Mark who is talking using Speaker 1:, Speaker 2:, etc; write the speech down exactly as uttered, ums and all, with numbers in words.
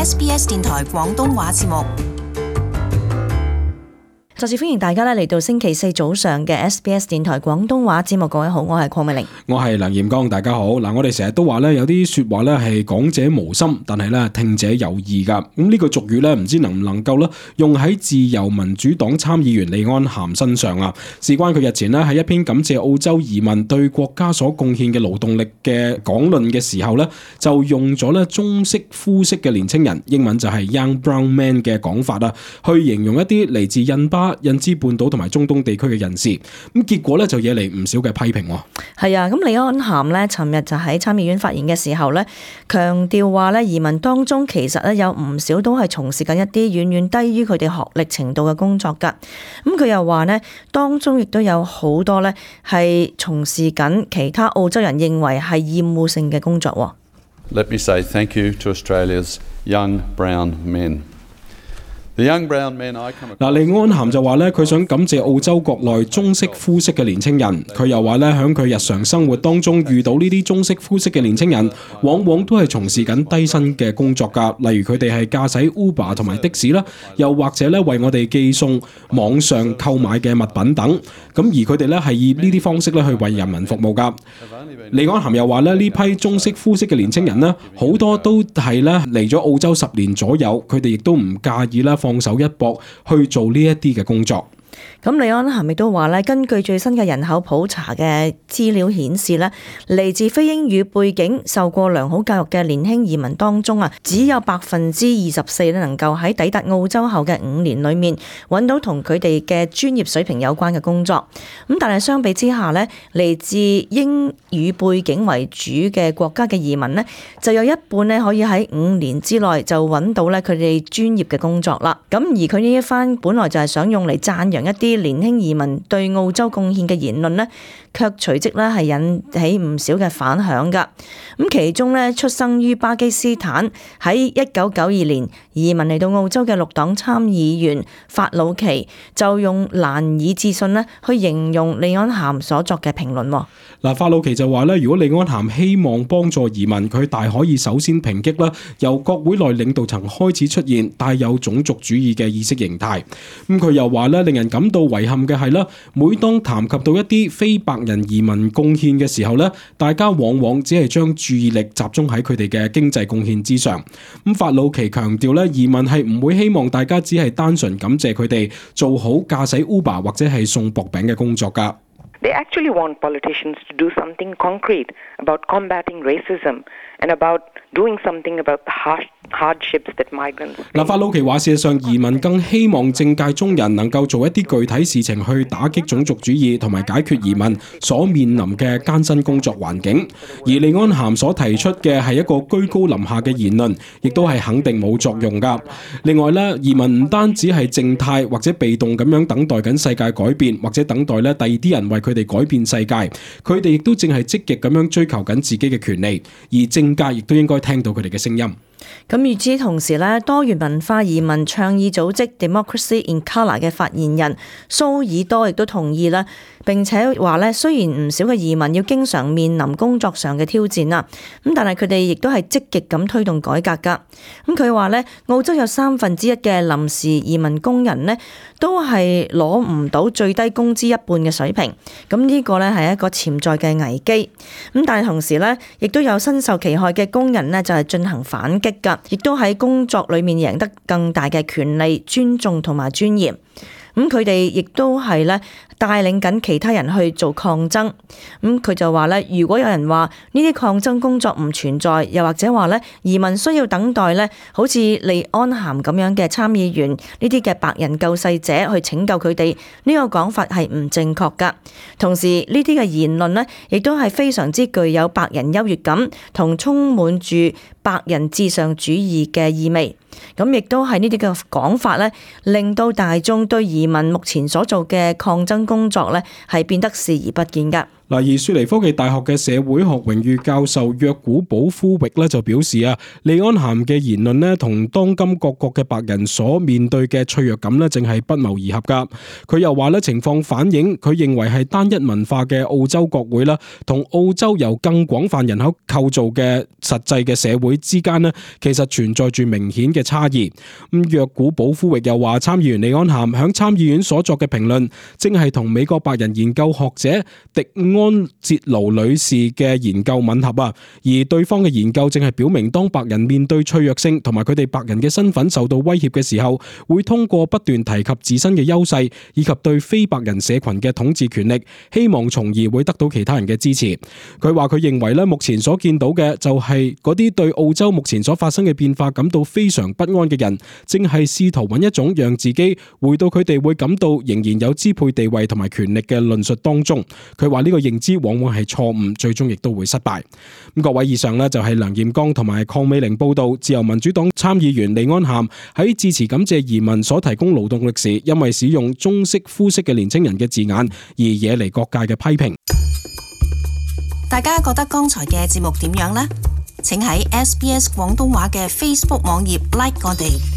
Speaker 1: S B S 電台廣東話節目。
Speaker 2: 再次歡迎大家咧嚟到星期四早上嘅 S B S 電台廣東話節目。各位好，我係鄺美玲，
Speaker 3: 我係梁彥剛，大家好。嗱，我哋成日都話咧，有啲說話咧係講者無心，但係咧聽者有意噶。咁呢個俗語咧，唔知能唔能夠咧用喺自由民主黨參議員李安涵身上啊？事關佢日前咧喺一篇感謝澳洲移民對國家所貢獻嘅勞動力嘅講論嘅時候咧，就用咗咧棕色膚色嘅年青人，英文就係 young brown man 嘅講法啊，去形容一啲嚟自印巴、印支半島同埋中東地區嘅人士，咁結果咧就惹嚟唔少嘅批評。
Speaker 2: 係啊，咁李安涵咧，尋日就喺參議院發言嘅時候咧，強調話咧移民當中其實咧有唔少都係從事緊一啲遠遠低於佢哋學歷程度嘅工作㗎。咁佢又話咧，當中亦都有好多咧係從事緊其他澳洲人認為係厭惡性嘅工作。
Speaker 4: Let me say thank you to Australia's young brown men.
Speaker 3: 嗱，李安涵就話咧，佢想感謝澳洲國內棕色膚色嘅年青人。佢又話咧，喺佢日常生活當中遇到呢啲棕色膚色嘅年青人，往往都係從事緊低薪嘅工作㗎。例如佢哋係駕駛 Uber 同埋的士啦，又或者咧為我哋寄送網上購買嘅物品等。咁而佢哋咧係以呢啲方式咧去為人民服務㗎。李安涵又話咧，呢批棕色膚色嘅年青人呢，好多都係咧嚟咗澳洲十年左右，佢哋亦都唔介意啦，放手一搏去做呢一啲嘅工作。
Speaker 2: 咁李安涵亦都話咧，根據最新嘅人口普查嘅資料顯示咧，嚟自非英語背景、受過良好教育嘅年輕移民當中啊，只有百分之二十四咧能夠喺抵達澳洲後嘅五年裏面揾到同佢哋嘅專業水平有關嘅工作。咁但係相比之下咧，嚟自英語背景為主嘅國家嘅移民咧，就有一半咧可以喺五年之內就揾到咧佢哋專業嘅工作啦。咁而佢呢一番本來就係想用嚟讚揚一啲年輕移民對澳洲貢獻嘅言論呢，卻隨即咧係引起唔少嘅反響㗎。咁其中咧，出生於巴基斯坦喺一九九二年移民嚟到澳洲嘅綠黨參議員法魯奇就用難以置信咧去形容李安涵所作嘅評論。
Speaker 3: 嗱，法魯奇就話咧，如果李安涵希望幫助移民，佢大可以首先抨擊啦，由國會內領導層開始出現帶有種族主義嘅意識形態。咁佢又話咧，令人感到遺憾嘅係啦，每當談及到一啲非白人移民貢獻嘅時候咧，大家往往只係將注意力集中喺佢哋嘅經濟貢獻之上。咁法魯奇強調咧，移民係唔會希望大家只係單純感謝佢哋做好駕駛 Uber 或者係送薄餅嘅工作㗎。
Speaker 5: They actually want politicians to do something concrete about combating racism and about doing something about the harsh hardships that migrants face.
Speaker 3: 嗱，法魯奇話，事實上移民更希望政界中人能夠做一啲具體事情去打擊種族主義同埋解決移民所面臨嘅艱辛工作環境。而李安涵所提出嘅係一個居高臨下嘅言論，亦都係肯定冇作用㗎。另外咧，移民唔單止係靜態或者被動咁樣等待緊世界改變，或者等待咧第二啲人為佢哋改變世界，佢哋亦都正係積極咁樣追求緊自己嘅權利，而政界亦都應該聽到佢哋嘅聲音。
Speaker 2: 咁與此同時咧，多元文化移民倡議組織 Democracy in Colour 嘅發言人蘇爾多亦都同意啦，並且話咧，雖然唔少嘅移民要經常面臨工作上嘅挑戰啦，咁但係佢哋亦都係積極咁推動改革㗎。咁佢話咧，澳洲有三分之一嘅臨時移民工人呢，都係攞唔到最低工資一半嘅水平。咁呢個咧係一個潛在嘅危機。咁但係同時咧，亦都有身受其害嘅工人呢，就係進行反擊㗎，亦都喺工作裏面贏得更大嘅權利、尊重同埋尊嚴。咁佢哋亦都係咧帶領緊其他人去做抗爭。咁佢就話咧，如果有人話呢啲抗爭工作唔存在，又或者話咧移民需要等待咧，好似李安涵咁樣嘅參議員呢啲嘅白人救世者去拯救佢哋，呢個講法係唔正確噶。同時呢啲嘅言論咧，亦都係非常之具有白人優越感同充滿住白人至上主義嘅意味。咁亦都係呢啲嘅講法咧，令到大眾對移民目前所做嘅抗爭工作咧，係變得視而不見噶。
Speaker 3: 嗱，而雪梨科技大學嘅社會學榮譽教授約古堡夫域咧就表示啊，利安咸嘅言論咧同當今各國嘅白人所面對嘅脆弱感咧，正係不謀而合噶。佢又話咧，情況反映佢認為係單一文化嘅澳洲國會啦，同澳洲由更廣泛人口構造嘅實際嘅社會之間咧，其實存在住明顯嘅差異。咁約古堡夫域又話，參議員利安咸響參議院所作嘅評論，正係同美國白人研究學者迪安哲勞女士嘅研究吻合啊，而對方嘅研究正係表明，當白人面對脆弱性同埋佢哋白人嘅身份受到威脅嘅時候，會通過不斷提及自身嘅優勢以及對非白人社群嘅統治權力，希望從而會得到其他人嘅支持。佢話佢認為咧，目前所見到嘅就係嗰啲對澳洲目前所發生嘅變化感到非常不安嘅人，正係試圖揾一種讓自己回到佢哋會感到仍然有支配地位同埋權力嘅論述當中。佢話呢個認知往往係錯誤，最終亦都會失敗。咁各位，以上呢就係梁彥剛同埋鄺美玲報道，自由民主黨參議員利安咸喺致辭感謝移民所提供勞動力時，因為使用中式膚色嘅年輕人嘅字眼而惹嚟各界嘅批評。
Speaker 1: 大家覺得剛才嘅節目點樣呢？請喺 S B S 廣東話嘅 Facebook 網頁 like 我哋。